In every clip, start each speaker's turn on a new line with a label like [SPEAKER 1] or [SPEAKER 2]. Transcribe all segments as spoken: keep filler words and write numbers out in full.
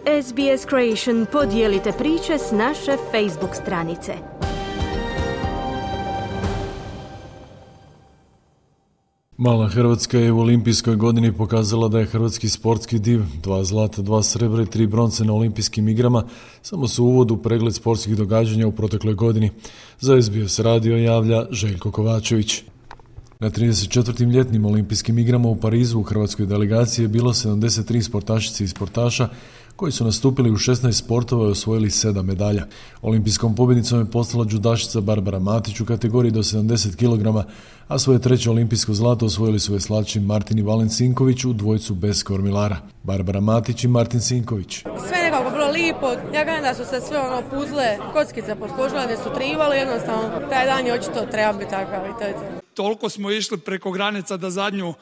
[SPEAKER 1] S B S Creation, podijelite priče s naše Facebook stranice.
[SPEAKER 2] Mala Hrvatska je u olimpijskoj godini pokazala da je hrvatski sportski div, dva zlata, dva srebra i tri bronce na olimpijskim igrama, samo su uvod u pregled sportskih događanja u protekloj godini. Za S B S radio javlja Željko Kovačević. Na trideset četvrtim ljetnim olimpijskim igrama u Parizu u hrvatskoj delegaciji je bilo sedamdeset tri sportašice i sportaša koji su nastupili u šesnaest sportova i osvojili sedam medalja. Olimpijskom pobjednicom je postala džudašica Barbara Matić u kategoriji do sedamdeset kilograma, a svoje treće olimpijsko zlato osvojili su veslači Martin i Valen Sinković u dvojcu bez kormilara. Barbara Matić i Martin Sinković.
[SPEAKER 3] Sve nekako bilo lipo, ja kažem da su se sve ono puzle, kockice posložile, ne su trivali, jednostavno taj dan je očito treba biti takav i to je to.
[SPEAKER 4] Toliko smo išli preko granica da zadnju,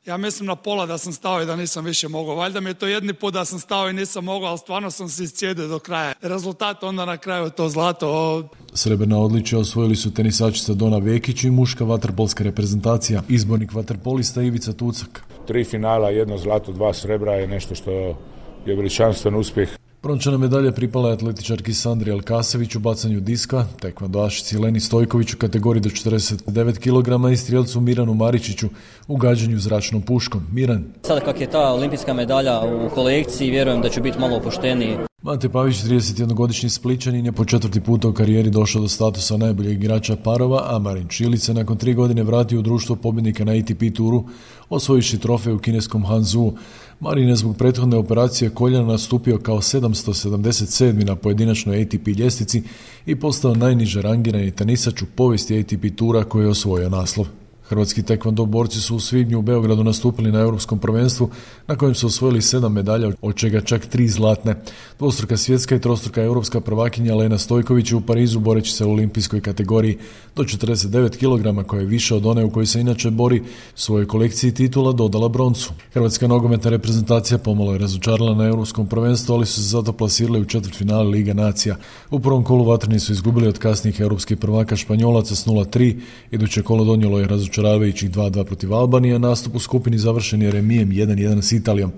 [SPEAKER 4] ja mislim na pola da sam stao i da nisam više mogao. Valjda mi je to jedni put da sam stao i nisam mogao, ali stvarno sam se iscijedio do kraja. Rezultat onda na kraju to zlato.
[SPEAKER 2] Srebrna odličja osvojili su tenisačica Dona Vekić i muška vaterpolska reprezentacija. Izbornik vaterpolista Ivica Tucak.
[SPEAKER 5] Tri finala, jedno zlato, dva srebra je nešto što je veličanstven uspjeh.
[SPEAKER 2] Brončana medalja pripala je atletičarki Sandri Alkasević u bacanju diska, tekvandoašici Leni Stojković u kategoriji do četrdeset devet kilograma i strijelcu Miranu Maričiću u gađanju zračnom puškom. Miran.
[SPEAKER 6] Sada kak je ta olimpijska medalja u kolekciji, vjerujem da ću biti malo opušteniji.
[SPEAKER 2] Mate Pavić, tridesetjednogodišnji Splićanin, je po četvrti puta u karijeri došao do statusa najboljeg igrača parova, a Marin Čilić se nakon tri godine vratio u društvo pobjednika na A T P turu, osvojiši trofej u kineskom Hanzhou. Marin je zbog prethodne operacije koljena nastupio kao sedamsto sedamdeset sedmi na pojedinačnoj A T P ljestvici i postao najniže rangirani tenisač u povijesti A T P tura koji je osvojio naslov. Hrvatski tekvando borci su u svibnju u Beogradu nastupili na europskom prvenstvu na kojem su osvojili sedam medalja, od čega čak tri zlatne. Dvostruka svjetska i trostruka europska prvakinja Lena Stojković je u Parizu boreći se u olimpijskoj kategoriji do četrdeset devet kilograma, koja je više od one u kojoj se inače bori, svojoj kolekciji titula dodala broncu. Hrvatska nogometna reprezentacija pomalo je razočarala na europskom prvenstvu, ali su se zato plasirali u četvrtfinale Liga nacija. U prvom kolu vatreni su izgubili od kasnijih europskih prvaka Španjolaca s nula tri, iduće kolo donijelo je razočaravajućih dva dva protiv Albanije, nastup u skupini završen je remijem jedan jedan s Italijom.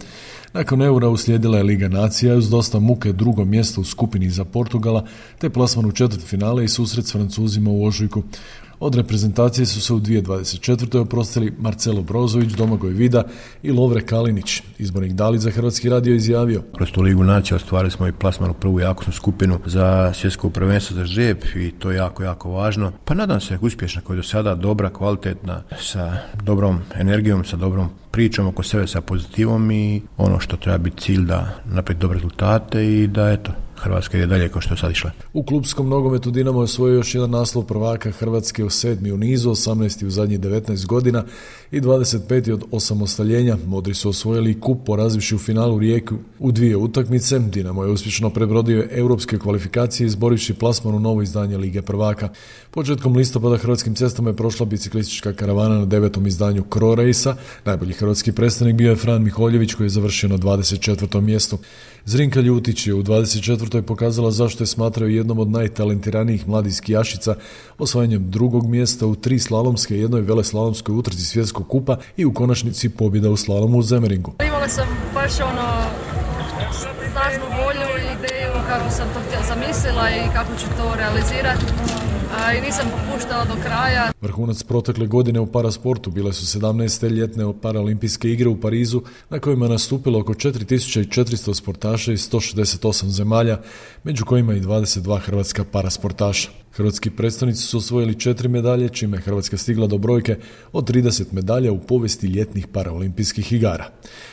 [SPEAKER 2] Nakon eura uslijedila je Liga nacija uz dosta muke drugo mjesto u skupini za Portugala, te plasman u četvrtfinale i susret s Francuzima u ožujku. Od reprezentacije su se u dvije tisuće dvadeset četvrtoj oprostili Marcelo Brozović, Domagoj Vida i Lovre Kalinić. Izbornik Dalić za Hrvatski radio izjavio:
[SPEAKER 7] Kroz tu Ligu nacija ostvarili smo i plasman u prvu jakosnu skupinu za svjetsko prvenstvo za žreb i to je jako, jako važno. Pa nadam se uspješna koja je do sada dobra, kvalitetna, sa dobrom energijom, sa dobrom pričom oko sebe, sa pozitivom i ono što treba biti cilj da napravi dobre rezultate i da eto, Hrvatska ide dalje kao što je sad išla.
[SPEAKER 2] U klupskom nogometu Dinamo je osvojio još jedan naslov prvaka Hrvatske, u sedmi u nizu, osamnaesti u zadnjih devetnaest godina i dvadeset peti od osamostaljenja. Modri su osvojili kup porazivši u finalu Rijeku u dvije utakmice. Dinamo je uspješno prebrodio europske kvalifikacije izborivši plasman u novo izdanje Lige prvaka. Početkom listopada Hrvatskim cestama je prošla biciklistička karavana na devetom izdanju Cro Race-a. Najbolji hrvatski predstavnik bio je Fran Miholjević koji je završio na dvadeset četvrtom mjestu. Zrinka Ljutić je u dvadeset četvrtoj pokazala zašto je smatrao jednom od najtalentiranijih mladih skijašica osvajanjem drugog mjesta u tri slalomske i jednoj veleslalomskoj utrci svjetskog kupa i u konačnici pobjeda u slalomu u Zemeringu.
[SPEAKER 8] Imala sam baš ono snažnu volju i ideju kako sam to zamislila i kako ću to realizirati. I nisam popuštala do kraja.
[SPEAKER 2] Vrhunac protekle godine u parasportu bile su sedamnaeste ljetne paraolimpijske igre u Parizu na kojima je nastupilo oko četiri tisuće četiristo sportaša iz sto šezdeset osam zemalja, među kojima i dvadeset dva hrvatska parasportaša. Hrvatski predstavnici su osvojili četiri medalje, čime je Hrvatska stigla do brojke od trideset medalja u povijesti ljetnih paraolimpijskih igara.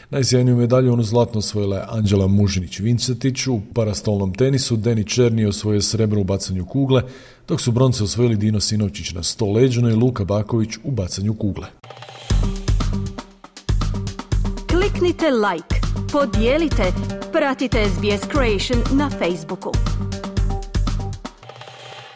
[SPEAKER 2] Najsjajniju medalju onu zlatno osvojila je Anđela Mužinić-Vincetić u parastolnom tenisu, Deni Černi osvojio srebro u bacanju kugle, dok su bronce osvojili Dino Sinovčić na sto leđno i Luka Baković u bacanju kugle.
[SPEAKER 1] Kliknite like, podijelite, pratite S B S Creation na Facebooku.